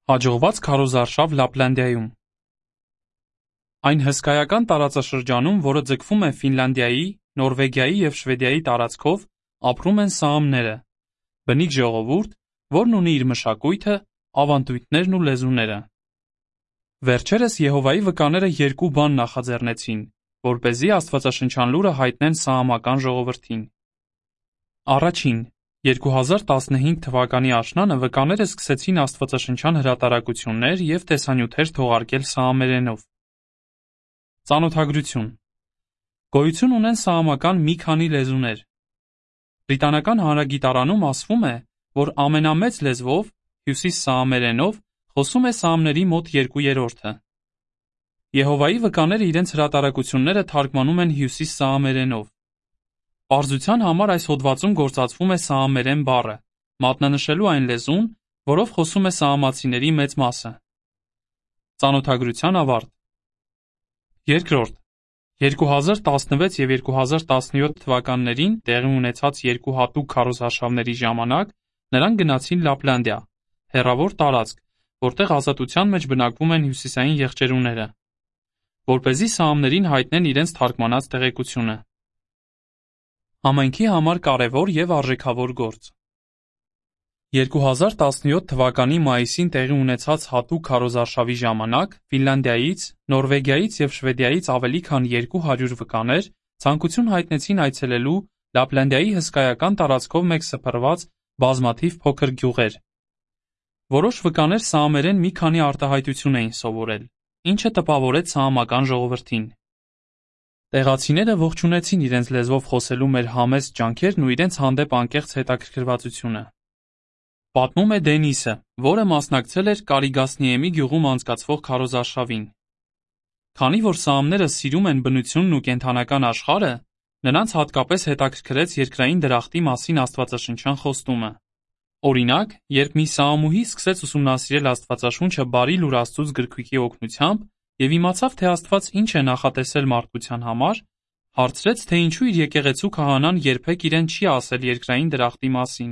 Հաջողված քարոզարշավ Լապլանդիայում։ Այն հսկայական տարածաշրջանում, որը ձգվում է Ֆինլանդիայի, Նորվեգիայի և Շվեդիայի տարածքով, ապրում են սաամները, բնիկ ժողովուրդ, որն ունի իր մշակույթը, ավանդույթներն ու լեզուները։ Վերջերս Եհովայի վկաները երկու բան նախաձեռնեցին, որպեսզի աստվածաշնչյան լուրը հայտնեն սաամական ժողովրդին։ Առաջին, 2015 թվականի աշնանը վկաները սկսեցին աստվածաշնչյան հրատարակություններ և տեսանյութեր թողարկել սաամերենով։ Ծանոթագրություն։ Գոյություն ունեն սաամական մի քանի լեզուներ։ Բրիտանական հանրագիտարանում ասվում է, որ ամենամեծ լեզվով, հյուսիսսաամերենով, խոսում է սաամների մոտ 2/3-ը։ Եհովայի վկաները իրենց հրատարակությունները թարգմանում են հյուսիսսաամերենով։ Պարզության համար այս հոդվածում գործածվում է սաամերեն բառը, մատնանշելու այն լեզուն, որով խոսում է սաամացիների մեծ մասը։ Ծանոթագրության ավարտ։ Երկրորդ, 2016 և 2017 թվականներին տեղի ունեցած երկու հատուկ քարոզարշավների ժամանակ նրանք գնացին Լապլանդիա, հեռավոր տարածք, որտեղ ազատության մեջ բնակվում են հյուսիսային եղջերուները, որպեսզի սաամներին հայտնեն իրենց թարգմանած տեղեկությունը։ Համայնքի համար կարևոր և արժեքավոր գործ։ 2017 թվականի մայիսին տեղի ունեցած հատուկ քարոզարշավի ժամանակ Ֆինլանդիայից, Նորվեգիայից և Շվեդիայից ավելի քան 200 վկաներ ցանկություն հայտնեցին այցելելու Լապլանդիայի հսկայական տարածքով մեկ սփռված բազմաթիվ փոքր գյուղեր։ Որոշ վկաներ սաամերեն մի քանի արտահայտություն էին սովորել, ինչը տպավորեց սաամական ժողովրդին։ Տեղացիները ողջունեցին իրենց լեզվով խոսելու մեր համեստ ջանքերն ու իրենց հանդեպ անկեղծ հետաքրքրվածությունը։ Պատմում է Դենիսը, որը մասնակցել էր Կարիգասնիեմի գյուղում անցկացվող քարոզարշավին։ Քանի որ սաամները սիրում են բնությունն ու կենդանական աշխարհը, նրանց հատկապես հետաքրքրեց երկրային դրախտի մասին աստվածաշնչյան խոստումը։ Օրինակ, երբ մի սաամուհի սկսեց ուսումնասիրել Աստվածաշունչը Բարի լուր Աստծուց գրքույկի օգնությամբ և իմացավ, թե Աստված ինչ է նախատեսել մարդկության համար, հարցրեց, թե ինչու իր եկեղեցու քահանան երբեք իրեն չի ասել երկրային դրախտի մասին։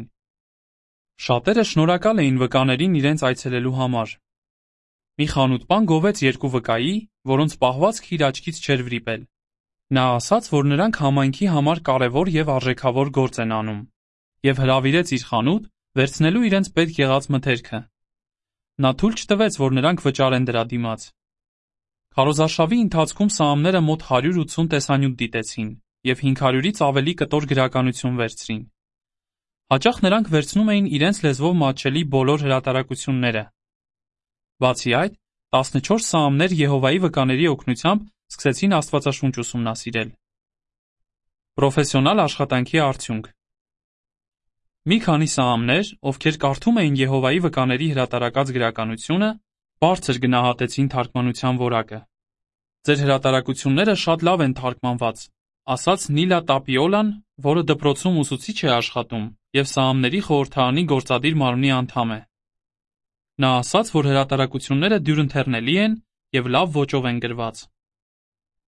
Շատերը շնորհակալ էին վկաներին իրենց այցելելու համար։ Մի խանութպան գովեց երկու վկայի, որոնց պահվածքը իր աչքից չէր վրիպել։ Նա ասաց, որ նրանք համայնքի համար կարևոր և արժեքավոր գործ են անում, և հրավիրեց իր խանութ վերցնելու իրենց պետք եղած մթերքը։ Նա թույլ չտվեց, որ նրանք վճարեն դրա դիմաց։ Քարոզարշավի ընթացքում սաամները մոտ 180 տեսանյութ դիտեցին և 500-ից ավելի կտոր գրականություն վերցրին։ Հաճախ նրանք վերցնում էին իրենց լեզվով մատչելի բոլոր հրատարակությունները։ Բացի այդ, 14 սաամներ Եհովայի վկաների օգնությամբ սկսեցին Աստվածաշունչ ուսումնասիրել։ Պրոֆեսիոնալ աշխատանքի արդյունք։ Մի քանի սաամներ, ովքեր կարդում էին Եհովայի վկաների հրատարակած գրականությունը, բարձր գնահատեցին թարգմանության որակը։ Ձեր հրատարակությունները շատ լավ են թարգմանված, ասաց Նիլա Տապիոլան, որը դպրոցում ուսուցիչ է աշխատում և սաամների խորհրդարանի գործադիր մարմնի անդամ է։ Նա ասաց, որ հրատարակությունները դյուրընթեռնելի են և լավ ոճով են գրված։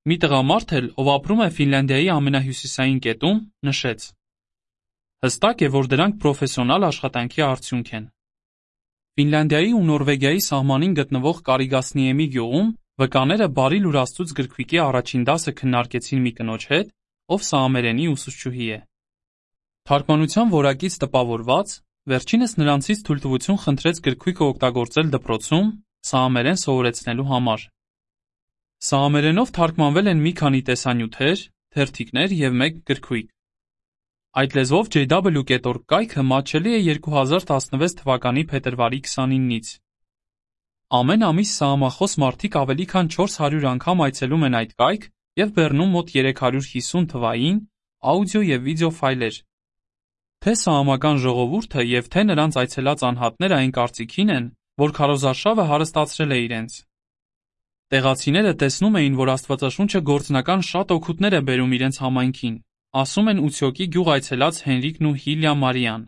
Մի տղամարդ էլ, ով ապրում է Ֆինլանդիայի ամենահյուսիսային կետում, նշեց. Հստակ է, որ դրանք պրոֆեսիոնալ աշխատանքի արդյունք են։ Ֆինլանդիայի ու Նորվեգիայի սահմանին գտնվող Կարիգասնիեմի գյուղում վկաները Բարի լուր Աստծուց գրքույկի առաջին դասը քննարկեցին մի կնոջ հետ, ով սաամերենի ուսուցչուհի է։ Թարգմանության որակից տպավորված, վերջինս նրանցից թույլտվություն խնդրեց գրքույկը օգտագործել դպրոցում սաամերեն սովորեցնելու համար։ Սաամերենով թարգմանվել են մի քանի տեսանյութեր, թերթիկներ և մեկ գրքույկ։ Այդ լեզվով jw.org կայքը մատչելի է 2016 թվականի փետրվարի 29-ից։ Ամեն ամիս սաամախոս մարդիկ ավելի քան 400 անգամ այցելում են այդ կայք և բեռնում մոտ 350 թվային, աուդիո և վիդեո ֆայլեր։ Թե սաամական ժողովուրդը և թե նրանց այցելած անհատները այն կարծիքին են, որ քարոզարշավը հարստացրել է իրենց։ Տեղացիները տեսնում էին, որ Աստվածաշունչը գործնական շատ օգուտներ է բերում իրենց համայնքին, ասում են Ուցյոկի գյուղ այցելած Հենրիկն ու Հիլյա Մարիան։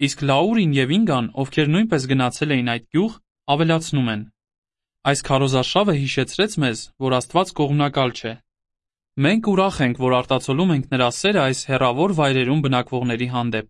Իսկ Լաուրին և Ինգան, ովքեր նույնպես գնացել էին այդ գյուղ, ավելացնում են. Այս քարոզարշավը հիշեցրեց մեզ, որ Աստված կողմնակալ չէ։ Մենք ուրախ ենք, որ արտացոլում ենք նրա սերը այս հեռավոր վայրերում բնակվողների հանդեպ։